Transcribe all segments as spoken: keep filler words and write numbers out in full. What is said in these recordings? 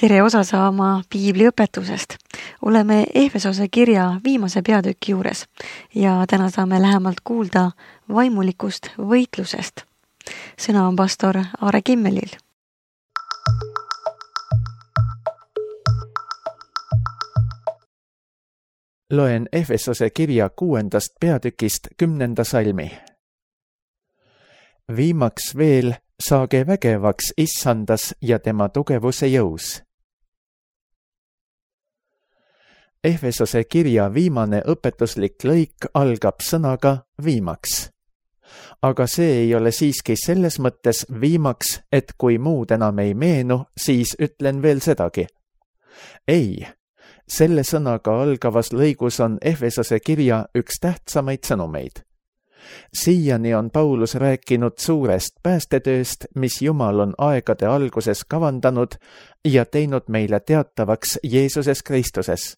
tere osa saama piibliõpetusest. Oleme Efesose kirja viimase peatüki juures ja täna saame lähemalt kuulda vaimulikust võitlusest. Sõna on pastor Aare Kimmelil. Loen Efesose kirja kuuendast peatükist kümnenda salmi. Viimaks veel saage vägevaks issandas ja tema tugevuse jõus. Efesose kirja viimane õpetuslik lõik algab sõnaga viimaks. Aga see ei ole siiski selles mõttes viimaks, et kui muud enam ei meenu, siis ütlen veel sedagi. Ei, selle sõnaga algavas lõigus on Efesose kirja üks tähtsamaid sõnumeid. Siiani on Paulus rääkinud suurest päästetööst, mis Jumal on aegade alguses kavandanud ja teinud meile teatavaks Jeesuses Kristuses.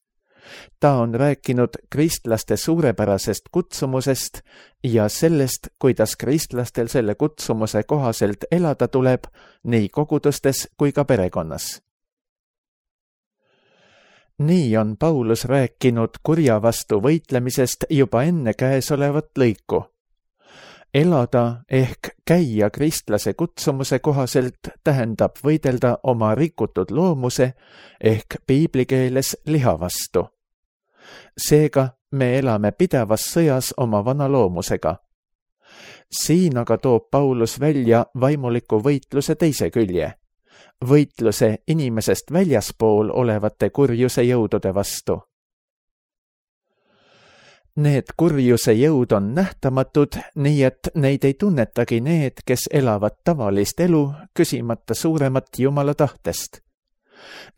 Ta on rääkinud kristlaste suurepärasest kutsumusest ja sellest, kuidas kristlastel selle kutsumuse kohaselt elada tuleb nii kogudustes kui ka perekonnas. Nii on Paulus rääkinud kurja vastu võitlemisest juba enne käesolevat lõiku. Elada ehk käia kristlase kutsumuse kohaselt tähendab võidelda oma rikutud loomuse ehk piiblikeeles liha vastu. Seega me elame pidevas sõjas oma vana loomusega. Siin aga toob Paulus välja vaimuliku võitluse teise külje, võitluse inimesest väljaspool olevate kurjuse jõudude vastu. Need kurjuse jõud on nähtamatud, nii et neid ei tunnetagi need, kes elavad tavalist elu, küsimata suuremat Jumala tahtest.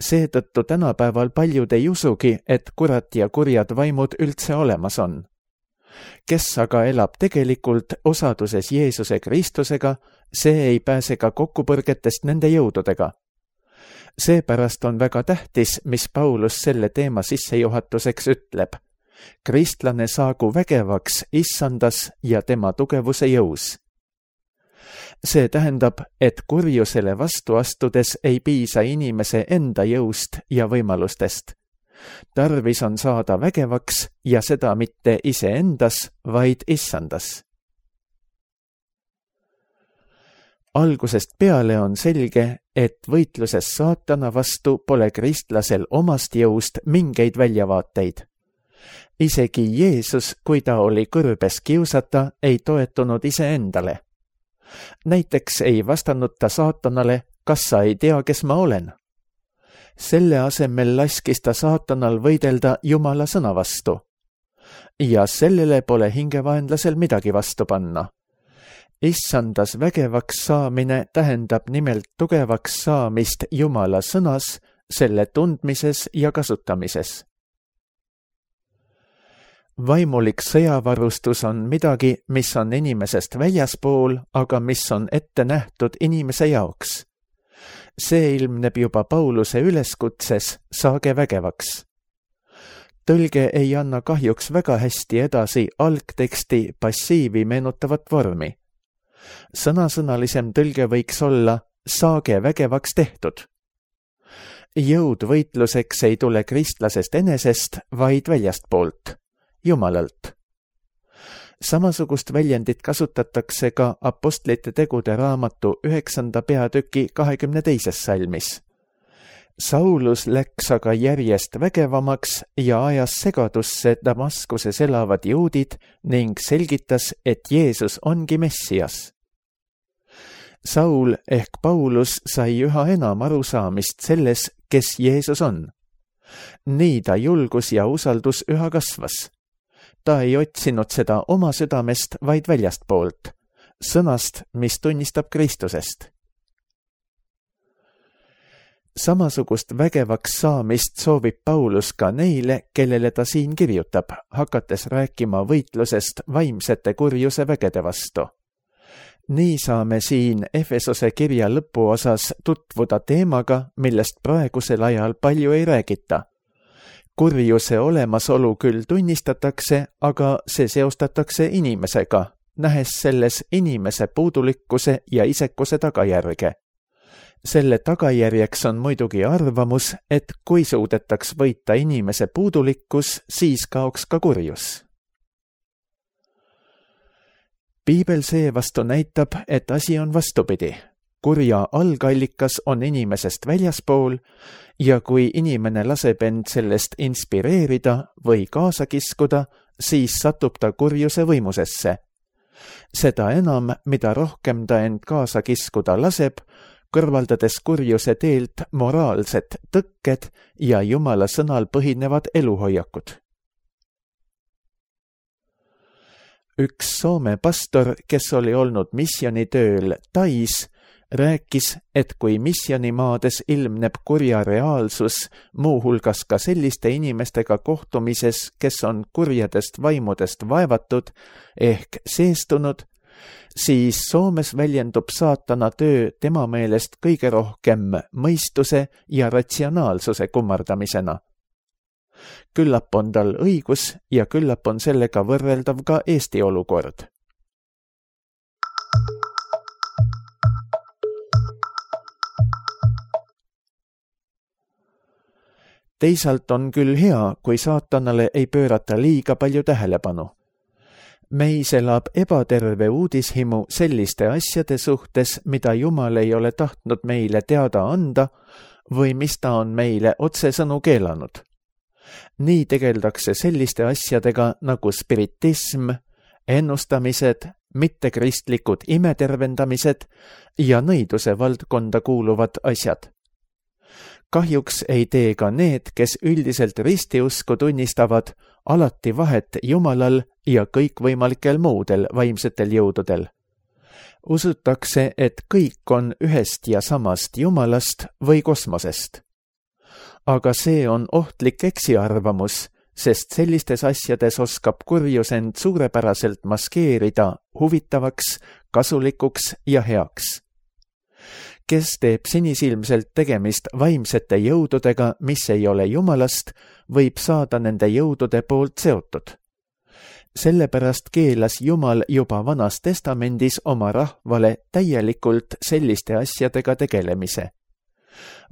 Seetõttu tänapäeval paljud ei usugi, et kurat ja kurjad vaimud üldse olemas on. Kes aga elab tegelikult osaduses Jeesuse Kristusega, see ei pääse ka kokkupõrgetest nende jõududega. Seepärast on väga tähtis, mis Paulus selle teema sissejuhatuseks ütleb. Kristlane saagu vägevaks issandas ja tema tugevuse jõus. See tähendab, et kurjusele vastu astudes ei piisa inimese enda jõust ja võimalustest. Tarvis on saada vägevaks ja seda mitte iseendas, vaid issandas. Algusest peale on selge, et võitluses saatana vastu pole kristlasel omast jõust mingeid väljavaateid. Isegi Jeesus, kui ta oli kõrbes kiusata, ei toetunud iseendale. Näiteks ei vastanud ta saatanale, kas sa ei tea, kes ma olen. Selle asemel laskis ta saatanal võidelda Jumala sõna vastu. Ja sellele pole hingevaenlasel midagi vastu panna. Issandas vägevaks saamine tähendab nimelt tugevaks saamist Jumala sõnas, selle tundmises ja kasutamises. Vaimulik sõjavarustus on midagi, mis on inimesest väljaspool, aga mis on ette nähtud inimese jaoks. See ilmneb juba Pauluse üleskutses, saage vägevaks. Tõlge ei anna kahjuks väga hästi edasi algteksti passiivi meenutavat vormi. Sõnasõnalisem tõlge võiks olla, saage vägevaks tehtud. Jõud võitluseks ei tule kristlasest enesest, vaid väljastpoolt. Jumalalt. Samasugust väljendit kasutatakse ka apostlite tegude raamatu üheksanda peatüki kahekümne teises salmis. Saulus läks aga järjest vägevamaks ja ajas segadusse Damaskuses elavad juudid ning selgitas, et Jeesus ongi Messias. Saul ehk Paulus sai üha enam arusaamist selles, kes Jeesus on. Nii ta julgus ja usaldus üha kasvas. Ta ei otsinud seda oma südamest, vaid väljastpoolt, sõnast, mis tunnistab Kristusest. Samasugust vägevaks saamist soovib Paulus ka neile, kellele ta siin kirjutab, hakates rääkima võitlusest vaimsete kurjuse vägede vastu. Nii saame siin Efesose kirja lõpuosas tutvuda teemaga, millest praegusel ajal palju ei räägita. Kurjuse olemasolu küll tunnistatakse, aga see seostatakse inimesega, nähes selles inimese puudulikkuse ja isekuse tagajärge. selle tagajärjeks on muidugi arvamus, et kui suudetaks võita inimese puudulikkus, siis kaoks ka kurjus. Piibel seevastu näitab, et asi on vastupidi. Kurja algallikas on inimesest väljaspool ja kui inimene laseb end sellest inspireerida või kaasa kiskuda, siis satub ta kurjuse võimusesse. Seda enam, mida rohkem ta end kaasa kiskuda laseb, kõrvaldades kurjuse teelt moraalsed tõkked ja Jumala sõnal põhinevad eluhoiakud. Üks Soome pastor, kes oli olnud missionitööl Tais, rääkis, et kui missionimaades ilmneb kurja reaalsus, muuhulgas ka selliste inimestega kohtumises, kes on kurjadest vaimudest vaevatud ehk seestunud, siis Soomes väljendub saatana töö tema meelest kõige rohkem mõistuse ja ratsionaalsuse kummardamisena. Küllap on tal õigus ja küllap on sellega võrreldav ka Eesti olukord. Teisalt on küll hea, kui saatanale ei pöörata liiga palju tähelepanu. Meis elab ebaterve uudishimu selliste asjade suhtes, mida Jumal ei ole tahtnud meile teada anda või mis ta on meile otsesõnu keelanud. Nii tegeldakse selliste asjadega nagu spiritism, ennustamised, mittekristlikud imetervendamised ja nõiduse valdkonda kuuluvad asjad. Kahjuks ei tee ka need, kes üldiselt ristiusku tunnistavad, alati vahet Jumalal ja kõikvõimalikel muudel vaimsetel jõududel. Usutakse, et kõik on ühest ja samast Jumalast või kosmosest. Aga see on ohtlik eksiarvamus, sest sellistes asjades oskab kurjus end suurepäraselt maskeerida huvitavaks, kasulikuks ja heaks. Kes teeb sinisilmselt tegemist vaimsete jõududega, mis ei ole Jumalast, võib saada nende jõudude poolt seotud. Sellepärast keelas Jumal juba Vanas Testamendis oma rahvale täielikult selliste asjadega tegelemise.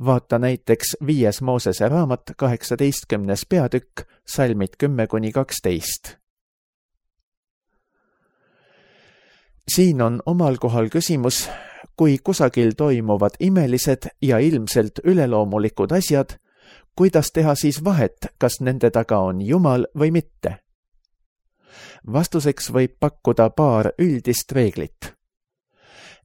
Vaata näiteks viies Moosese raamat kaheksateistkümnes peatükk, salmid kümme kuni kaksteist. Siin on omal kohal küsimus, kui kusagil toimuvad imelised ja ilmselt üleloomulikud asjad, kuidas teha siis vahet, kas nende taga on Jumal või mitte? Vastuseks võib pakkuda paar üldist reeglit.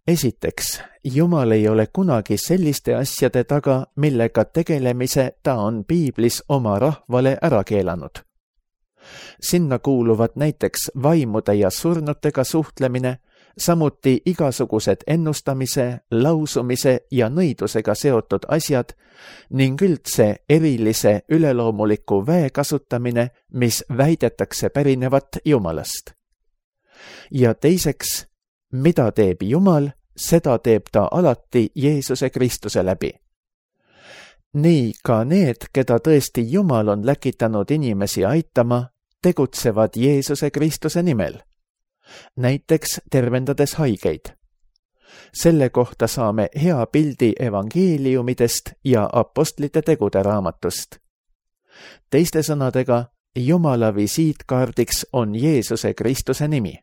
Esiteks, Jumal ei ole kunagi selliste asjade taga, millega tegelemise ta on Piiblis oma rahvale ära keelanud. Sinna kuuluvad näiteks vaimude ja surnutega suhtlemine, samuti igasugused ennustamise, lausumise ja nõidusega seotud asjad ning üldse erilise üleloomuliku väe kasutamine, mis väidetakse pärinevat Jumalast. Ja teiseks, mida teeb Jumal, seda teeb ta alati Jeesuse Kristuse läbi. Nii ka need, keda tõesti Jumal on läkitanud inimesi aitama, tegutsevad Jeesuse Kristuse nimel. Näiteks tervendades haigeid. Selle kohta saame hea pildi evangeeliumidest ja apostlite tegude raamatust. Teiste sõnadega, Jumala visiitkaardiks on Jeesuse Kristuse nimi.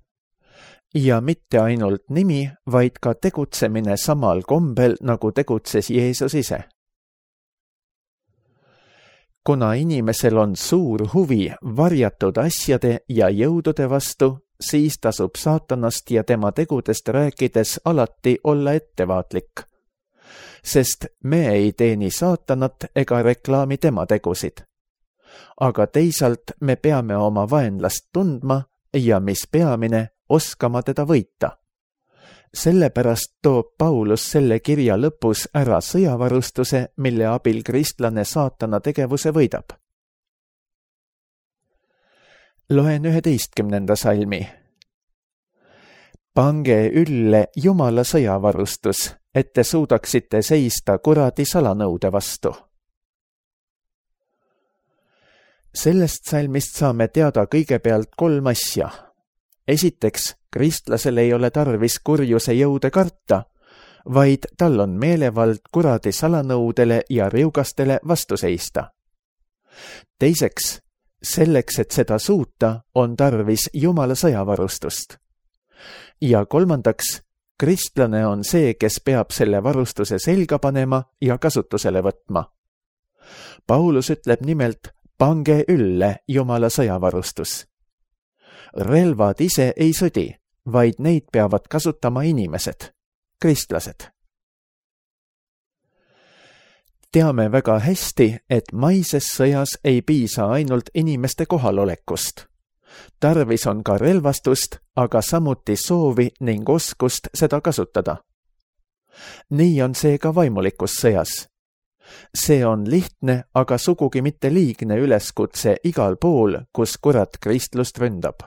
Ja mitte ainult nimi, vaid ka tegutsemine samal kombel, nagu tegutses Jeesus ise. Kuna inimesel on suur huvi varjatud asjade ja jõudude vastu, siis tasub saatanast ja tema tegudest rääkides alati olla ettevaatlik. Sest me ei teeni saatanat ega reklaami tema tegusid. Aga teisalt me peame oma vaenlast tundma ja mis peamine, oskama teda võita. Sellepärast toob Paulus selle kirja lõpus ära sõjavarustuse, mille abil kristlane saatana tegevuse võidab. Loen üheteistkümnenda salmi. Pange ülle Jumala sõjavarustus, et te suudaksite seista kuradi salanõude vastu. Sellest salmist saame teada kõigepealt kolm asja. Esiteks, kristlasel ei ole tarvis kurjuse jõude karta, vaid tal on meelevald kuradi salanõudele ja riugastele vastu seista. Teiseks, selleks, et seda suuta, on tarvis Jumala sõjavarustust. Ja kolmandaks, kristlane on see, kes peab selle varustuse selga panema ja kasutusele võtma. Paulus ütleb nimelt, pange ülle Jumala sõjavarustus. Relvad ise ei sõdi, vaid neid peavad kasutama inimesed, kristlased. Teame väga hästi, et maises sõjas ei piisa ainult inimeste kohalolekust. Tarvis on ka relvastust, aga samuti soovi ning oskust seda kasutada. Nii on see ka vaimulikus sõjas. See on lihtne, aga sugugi mitte liigne üleskutse igal pool, kus kurat kristlust ründab.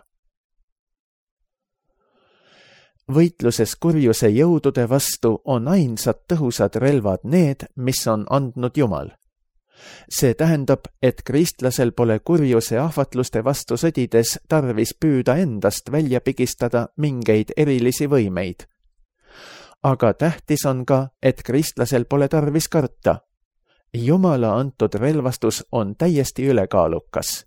Võitluses kurjuse jõudude vastu on ainsad tõhusad relvad need, mis on andnud Jumal. See tähendab, et kristlasel pole kurjuse ahvatluste vastu sõdides tarvis püüda endast välja pigistada mingeid erilisi võimeid. Aga tähtis on ka, et kristlasel pole tarvis karta. Jumala antud relvastus on täiesti ülekaalukas.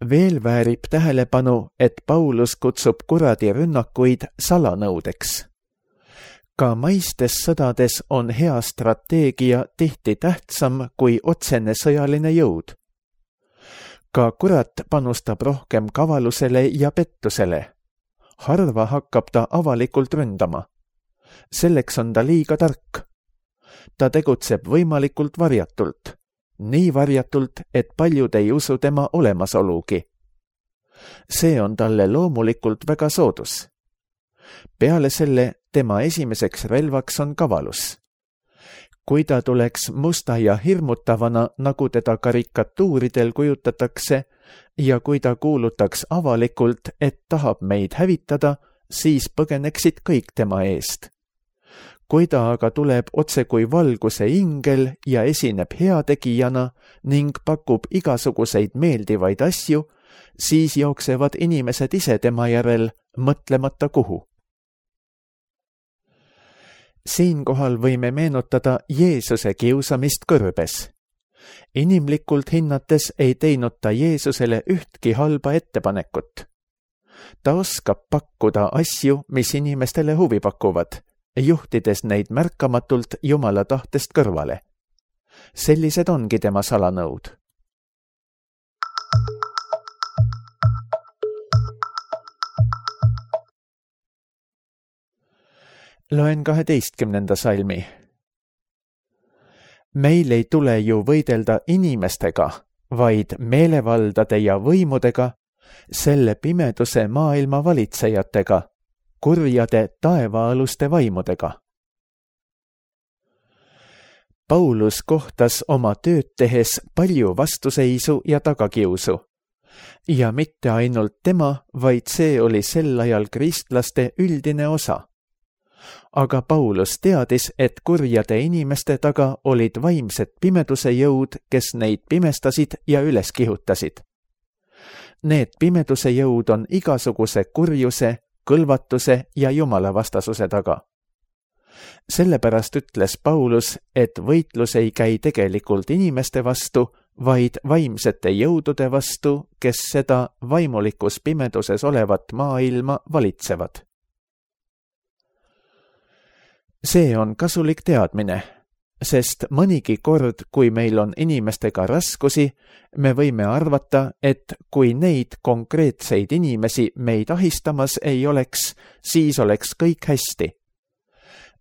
Veel väärib tähelepanu, et Paulus kutsub kuradi rünnakuid salanõudeks. Ka maistes sõdades on hea strateegia tihti tähtsam kui otsene sõjaline jõud. Ka kurat panustab rohkem kavalusele ja pettusele. Harva hakkab ta avalikult ründama. Selleks on ta liiga tark. Ta tegutseb võimalikult varjatult. Nii varjatult, et paljud ei usu tema olemasolugi. See on talle loomulikult väga soodus. Peale selle tema esimeseks relvaks on kavalus. Kui ta tuleks musta ja hirmutavana, nagu teda karikatuuridel kujutatakse, ja kui ta kuulutaks avalikult, et tahab meid hävitada, siis põgeneksid kõik tema eest. Kui ta aga tuleb otse kui valguse ingel ja esineb heategijana ning pakub igasuguseid meeldivaid asju, siis jooksevad inimesed ise tema järel, mõtlemata kuhu. Siinkohal võime meenutada Jeesuse kiusamist kõrbes. Inimlikult hinnates ei teinud ta Jeesusele ühtki halba ettepanekut. Ta oskab pakkuda asju, mis inimestele huvi pakuvad, juhtides neid märkamatult Jumala tahtest kõrvale. Sellised ongi tema salanõud. Loen kaheteistkümnenda salmi. Meil ei tule ju võidelda inimestega, vaid meelevaldade ja võimudega, selle pimeduse maailma valitsejatega, kurjade taevaaluste vaimudega. Paulus kohtas oma tööd tehes palju vastuseisu ja tagakiusu. Ja mitte ainult tema, vaid see oli sel ajal kristlaste üldine osa. Aga Paulus teadis, et kurjade inimeste taga olid vaimsed pimeduse jõud, kes neid pimestasid ja üles kihutasid. Need pimeduse jõud on igasuguse kurjuse, kõlvatuse ja Jumala vastasuse taga. Sellepärast ütles Paulus, et võitlus ei käi tegelikult inimeste vastu, vaid vaimsete jõudude vastu, kes seda vaimulikus pimeduses olevat maailma valitsevad. See on kasulik teadmine, sest mõnigi kord, kui meil on inimestega raskusi, me võime arvata, et kui neid konkreetseid inimesi meid ahistamas ei oleks, siis oleks kõik hästi.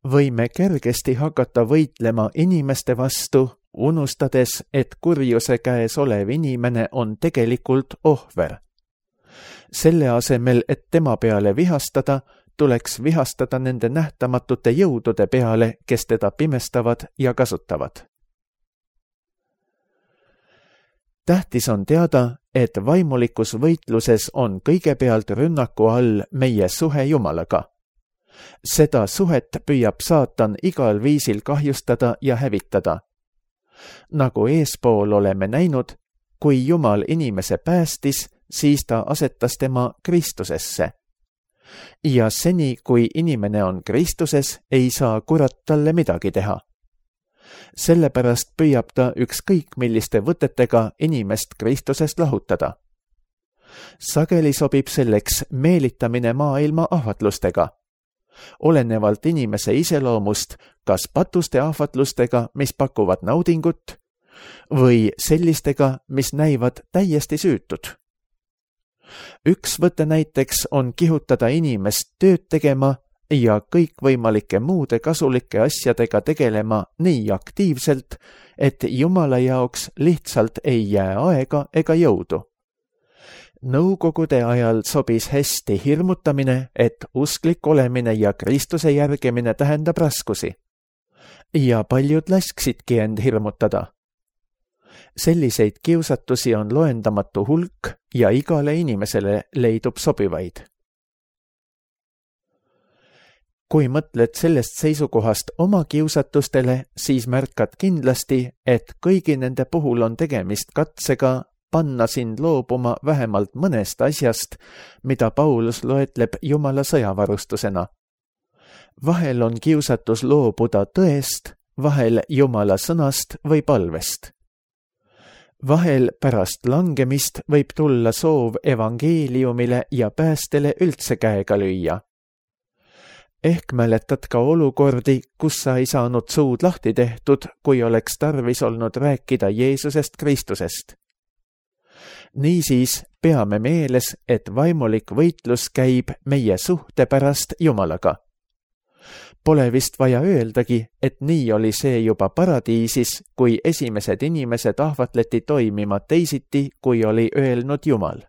Võime kergesti hakata võitlema inimeste vastu, unustades, et kurjuse käes olev inimene on tegelikult ohver. Selle asemel, et tema peale vihastada, tuleks vihastada nende nähtamatute jõudude peale, kes teda pimestavad ja kasutavad. Tähtis on teada, et vaimulikus võitluses on kõigepealt rünnaku all meie suhe Jumalaga. Seda suhet püüab saatan igal viisil kahjustada ja hävitada. Nagu eespool oleme näinud, kui Jumal inimese päästis, siis ta asetas tema Kristusesse. ja seni, kui inimene on Kristuses, ei saa kurat talle midagi teha. Sellepärast püüab ta ükskõik milliste võtetega inimest Kristusest lahutada. Sageli sobib selleks meelitamine maailma ahvatlustega, olenevalt inimese iseloomust, kas patuste ahvatlustega, mis pakuvad naudingut, või sellistega, mis näivad täiesti süütud. Üks võte näiteks on kihutada inimest tööd tegema ja kõikvõimalike muude kasulike asjadega tegelema nii aktiivselt, et Jumala jaoks lihtsalt ei jää aega ega jõudu. Nõukogude ajal sobis hästi hirmutamine, et usklik olemine ja Kristuse järgimine tähendab raskusi. Ja paljud lasksidki end hirmutada. Selliseid kiusatusi on loendamatu hulk ja igale inimesele leidub sobivaid. Kui mõtled sellest seisukohast oma kiusatustele, siis märkad kindlasti, et kõigi nende puhul on tegemist katsega panna sind loobuma vähemalt mõnest asjast, mida Paulus loetleb Jumala sõjavarustusena. Vahel on kiusatus loobuda tõest, vahel Jumala sõnast või palvest. Vahel pärast langemist võib tulla soov evangeeliumile ja päästele üldse käega lüüa. Ehk mäletad ka olukordi, kus sa ei saanud suud lahti tehtud, kui oleks tarvis olnud rääkida Jeesusest Kristusest. Niisiis peame meeles, et vaimulik võitlus käib meie suhte pärast Jumalaga. Pole vist vaja öeldagi, et nii oli see juba paradiisis, kui esimesed inimesed ahvatleti toimima teisiti, kui oli öelnud Jumal.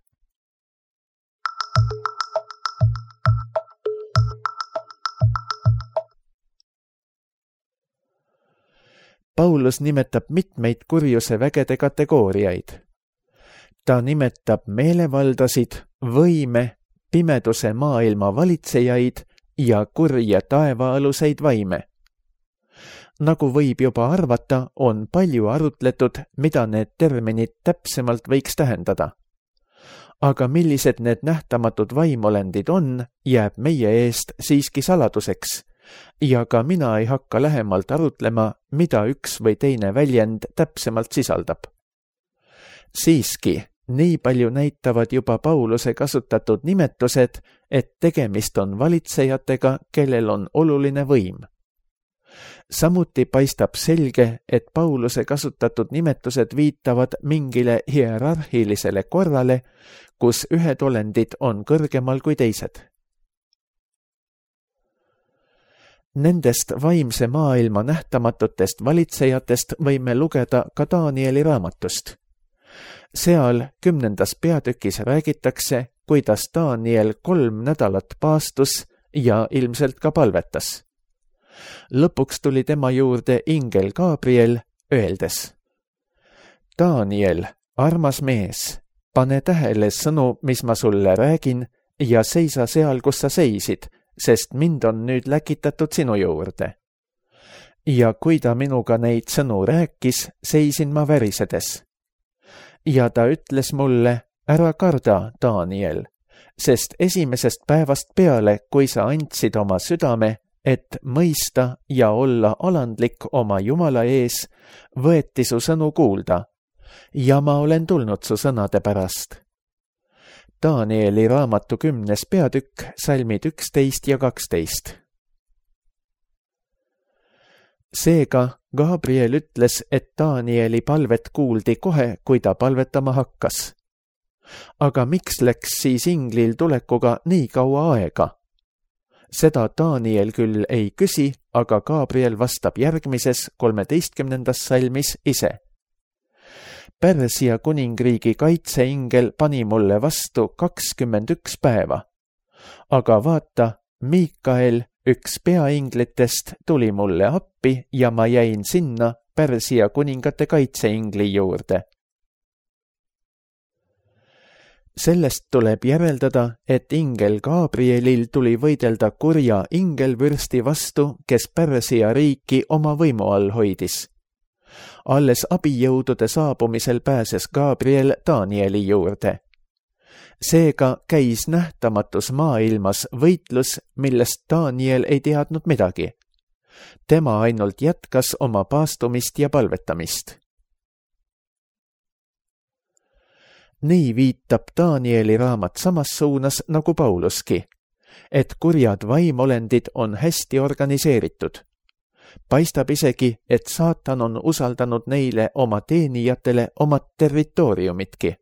Paulus nimetab mitmeid kurjuse vägede kategooriaid. Ta nimetab meelevaldasid, võime, pimeduse maailma valitsejaid ja kurje taevaaluseid vaime. Nagu võib juba arvata, on palju arutletud, mida need terminid täpsemalt võiks tähendada. Aga millised need nähtamatud vaimolendid on, jääb meie eest siiski saladuseks ja ka mina ei hakka lähemalt arutlema, mida üks või teine väljend täpsemalt sisaldab. Siiski, nii palju näitavad juba Pauluse kasutatud nimetused, et tegemist on valitsejatega, kellel on oluline võim. Samuti paistab selge, et Pauluse kasutatud nimetused viitavad mingile hierarhilisele korrale, kus ühed olendid on kõrgemal kui teised. Nendest vaimse maailma nähtamatutest valitsejatest võime lugeda ka Danieli raamatust. Seal kümnendas peatükis räägitakse, kuidas Daniel kolm nädalat paastus ja ilmselt ka palvetas. Lõpuks tuli tema juurde ingel Gabriel, öeldes: Daniel, armas mees, pane tähele sõnu, mis ma sulle räägin, ja seisa seal, kus sa seisid, sest mind on nüüd läkitatud sinu juurde. Ja kui ta minuga neid sõnu rääkis, seisin ma värisedes. Ja ta ütles mulle: ära karda, Daniel, sest esimesest päevast peale, kui sa andsid oma südame, et mõista ja olla alandlik oma Jumala ees, võeti su sõnu kuulda, ja ma olen tulnud su sõnade pärast. Danieli raamatu kümnes peatükk, salmid üksteist ja kaksteist. Seega Gabriel ütles, et Danieli palvet kuuldi kohe, kui ta palvetama hakkas. Aga miks läks siis inglil tulekuga nii kaua aega? Seda Daniel küll ei küsi, aga Gabriel vastab järgmises kolmeteistkümnendas salmis ise. Pärsia kuningriigi kaitseingel pani mulle vastu kakskümmend üks päeva. Aga vaata, Miikael, üks peainglitest, tuli mulle appi ja ma jäin sinna Pärsia kuningate kaitseingli juurde. Sellest tuleb järeldada, et ingel Gabrielil tuli võidelda kurja ingelvürsti vastu, kes Pärsia riiki oma võimu all hoidis. Alles abijõudude saabumisel pääses Gabriel Danieli juurde. seega käis nähtamatus maailmas võitlus, millest Daniel ei teadnud midagi. Tema ainult jätkas oma paastumist ja palvetamist. Nii viitab Danieli raamat samas suunas nagu Pauluski, et kurjad vaimolendid on hästi organiseeritud. Paistab isegi, et saatan on usaldanud neile oma teenijatele oma territooriumitki.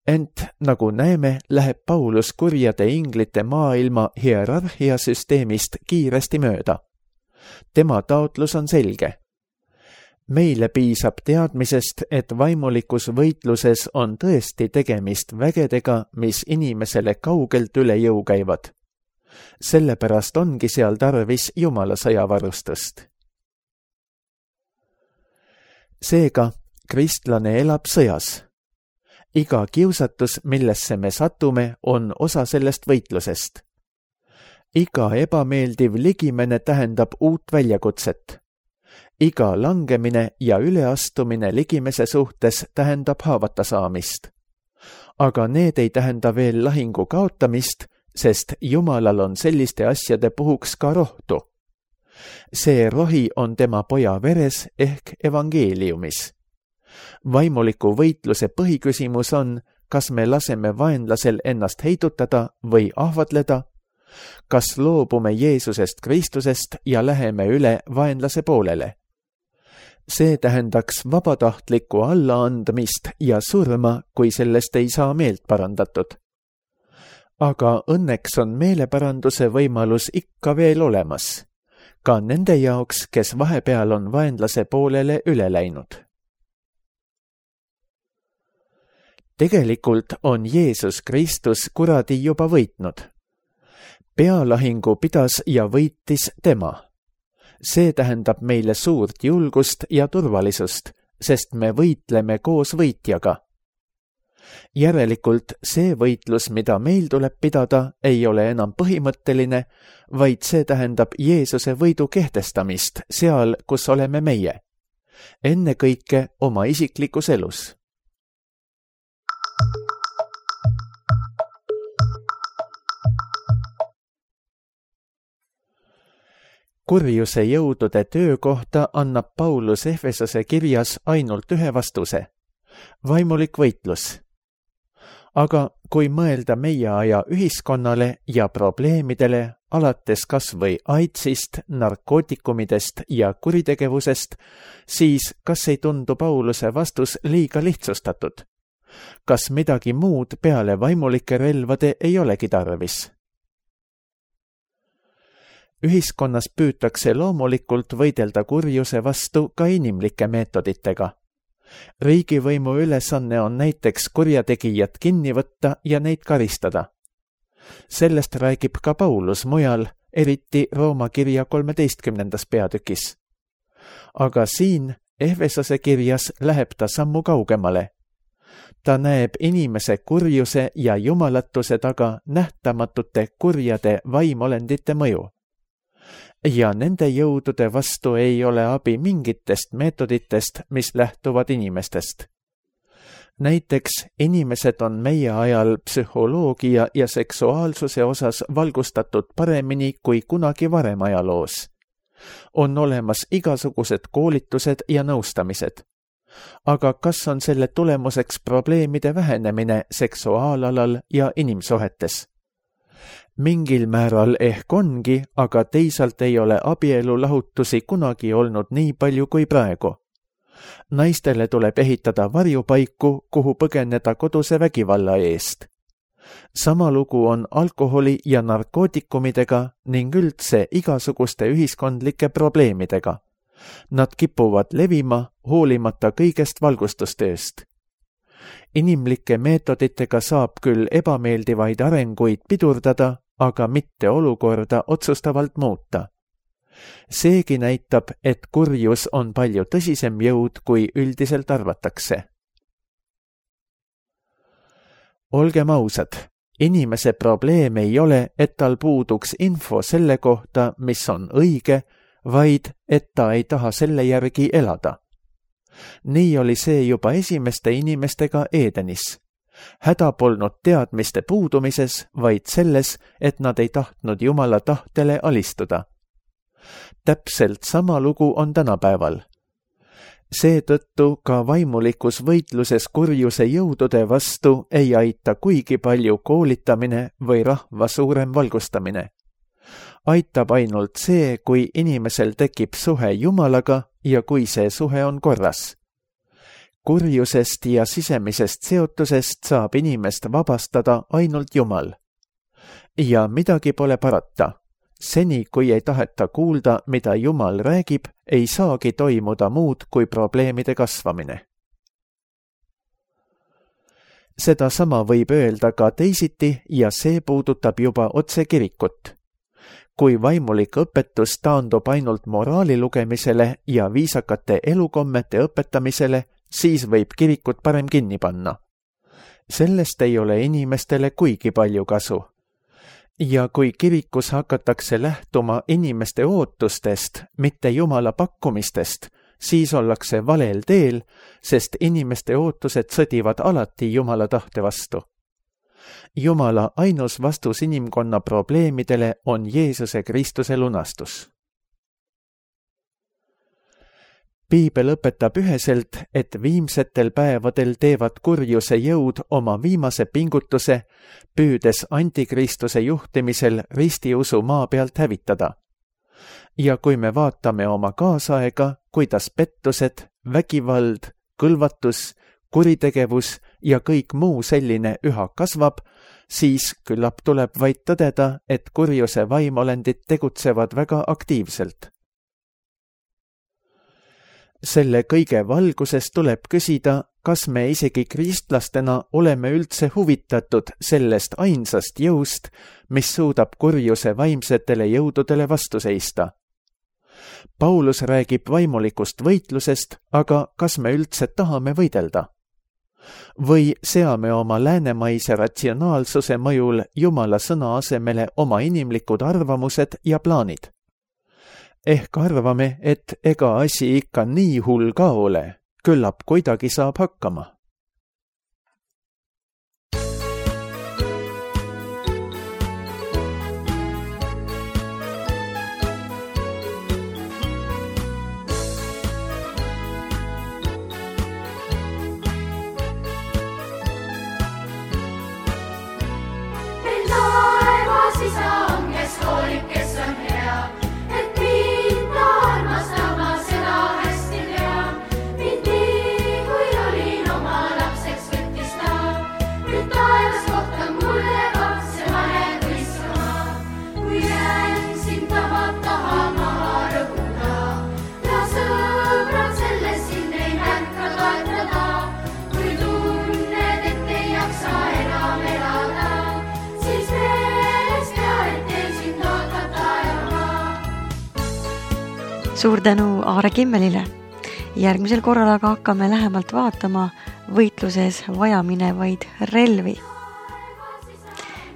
Ent nagu näeme, läheb Paulus kurjade inglite maailma hierarhiasüsteemist kiiresti mööda. Tema taotlus on selge. Meile piisab teadmisest, et vaimulikus võitluses on tõesti tegemist vägedega, mis inimesele kaugelt üle jõu käivad. Sellepärast ongi seal tarvis Jumala sõjavarustust. Seega, kristlane elab sõjas. Iga kiusatus, millesse me satume, on osa sellest võitlusest. Iga ebameeldiv ligimene tähendab uut väljakutset. Iga langemine ja üleastumine ligimese suhtes tähendab haavata saamist. Aga need ei tähenda veel lahingu kaotamist, sest Jumalal on selliste asjade puhuks ka rohtu. See rohi on tema poja veres ehk evangeeliumis. Vaimuliku võitluse põhiküsimus on, kas me laseme vaenlasel ennast heidutada või ahvatleda, kas loobume Jeesusest Kristusest ja läheme üle vaenlase poolele. See tähendaks vabatahtlikku allaandmist ja surma, kui sellest ei saa meelt parandatud. Aga õnneks on meeleparanduse võimalus ikka veel olemas, ka nende jaoks, kes vahepeal on vaenlase poolele üle läinud. Tegelikult on Jeesus Kristus kuradi juba võitnud. Pealahingu pidas ja võitis tema. See tähendab meile suurt julgust ja turvalisust, sest me võitleme koos võitjaga. Järelikult see võitlus, mida meil tuleb pidada, ei ole enam põhimõtteline, vaid see tähendab Jeesuse võidu kehtestamist seal, kus oleme meie. Ennekõike oma isiklikus elus. Kurjuse jõudude töö kohta annab Paulus Efesose kirjas ainult ühe vastuse. Vaimulik võitlus. Aga kui mõelda meie aja ühiskonnale ja probleemidele, alates kas või AIDSist, narkootikumidest ja kuritegevusest, siis kas ei tundu Pauluse vastus liiga lihtsustatud? Kas midagi muud peale vaimulike relvade ei olegi tarvis? Ühiskonnas püütakse loomulikult võidelda kurjuse vastu ka inimlike meetoditega. Riigivõimu ülesanne on näiteks kurjategijad kinni võtta ja neid karistada. Sellest räägib ka Paulus mujal, eriti Rooma kirja kolmeteistkümnendas peatükis. Aga siin Efesose kirjas läheb ta sammu kaugemale. Ta näeb inimese kurjuse ja jumalatuse taga nähtamatute kurjade vaimolendite mõju. Ja nende jõudude vastu ei ole abi mingitest meetoditest, mis lähtuvad inimestest. Näiteks inimesed on meie ajal psühholoogia ja seksuaalsuse osas valgustatud paremini kui kunagi varem ajaloos. On olemas igasugused koolitused ja nõustamised. Aga kas on selle tulemuseks probleemide vähenemine seksuaalalal ja inimsuhetes? Mingil määral ehk ongi, aga teisalt ei ole abielu lahutusi kunagi olnud nii palju kui praegu. Naistele tuleb ehitada varjupaiku, kuhu põgeneda koduse vägivalla eest. Sama lugu on alkoholi ja narkootikumidega ning üldse igasuguste ühiskondlike probleemidega. Nad kipuvad levima, hoolimata kõigest valgustustööst. Inimlike meetoditega saab küll ebameeldivaid arenguid pidurdada, aga mitte olukorda otsustavalt muuta. Seegi näitab, et kurjus on palju tõsisem jõud, kui üldiselt arvatakse. Olgem ausad, inimese probleem ei ole, et tal puuduks info selle kohta, mis on õige, vaid et ta ei taha selle järgi elada. nii oli see juba esimeste inimestega Edenis. Häda polnud teadmiste puudumises, vaid selles, et nad ei tahtnud Jumala tahtele alistuda. Täpselt sama lugu on tänapäeval. Seetõttu ka vaimulikus võitluses kurjuse jõudude vastu ei aita kuigi palju koolitamine või rahva suurem valgustamine. Aitab ainult see, kui inimesel tekib suhe Jumalaga ja kui see suhe on korras. Kurjusest ja sisemisest seotusest saab inimest vabastada ainult Jumal. Ja midagi pole parata. Seni, kui ei taheta kuulda, mida Jumal räägib, ei saagi toimuda muud kui probleemide kasvamine. Seda sama võib öelda ka teisiti ja see puudutab juba otse kirikut. Kui vaimulik õpetus taandub ainult moraali lugemisele ja viisakate elukommete õpetamisele, siis võib kirikut parem kinni panna. Sellest ei ole inimestele kuigi palju kasu. Ja kui kirikus hakatakse lähtuma inimeste ootustest, mitte Jumala pakkumistest, siis ollakse valel teel, sest inimeste ootused sõdivad alati Jumala tahte vastu. Jumala ainus vastus inimkonna probleemidele on Jeesuse Kristuse lunastus. Piibel õpetab üheselt, et viimsetel päevadel teevad kurjuse jõud oma viimase pingutuse, püüdes antikristuse juhtimisel ristiusu maa pealt hävitada. Ja kui me vaatame oma kaasaega, kuidas pettused, vägivald, kõlvatus, kuritegevus ja kõik muu selline üha kasvab, siis küllap tuleb vaid tõdeda, et kurjuse vaimolendid tegutsevad väga aktiivselt. Selle kõige valguses tuleb küsida, kas me isegi kristlastena oleme üldse huvitatud sellest ainsast jõust, mis suudab kurjuse vaimsetele jõududele vastu seista. Paulus räägib vaimulikust võitlusest, aga kas me üldse tahame võidelda? Või seame oma läänemaise ratsionaalsuse mõjul Jumala sõna asemele oma inimlikud arvamused ja plaanid? Ehk arvame, et ega asi ikka nii hull ka ole, küllap kuidagi saab hakkama. Suur tänu Aare Kimmelile. Järgmisel korral aga hakkame lähemalt vaatama võitluses vajaminevaid relvi.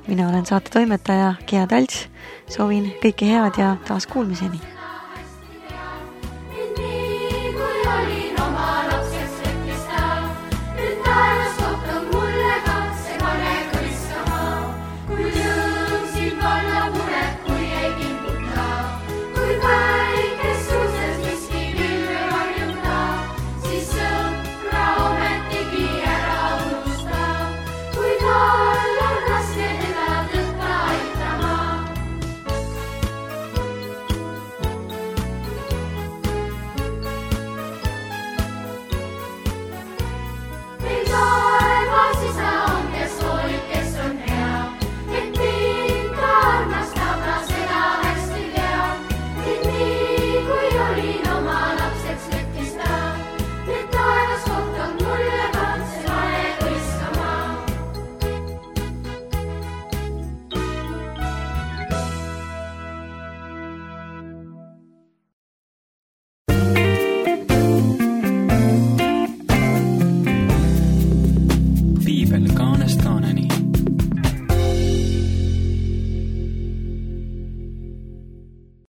Mina olen saate toimetaja Gea Talts. Soovin kõike head ja taas kuulmiseni.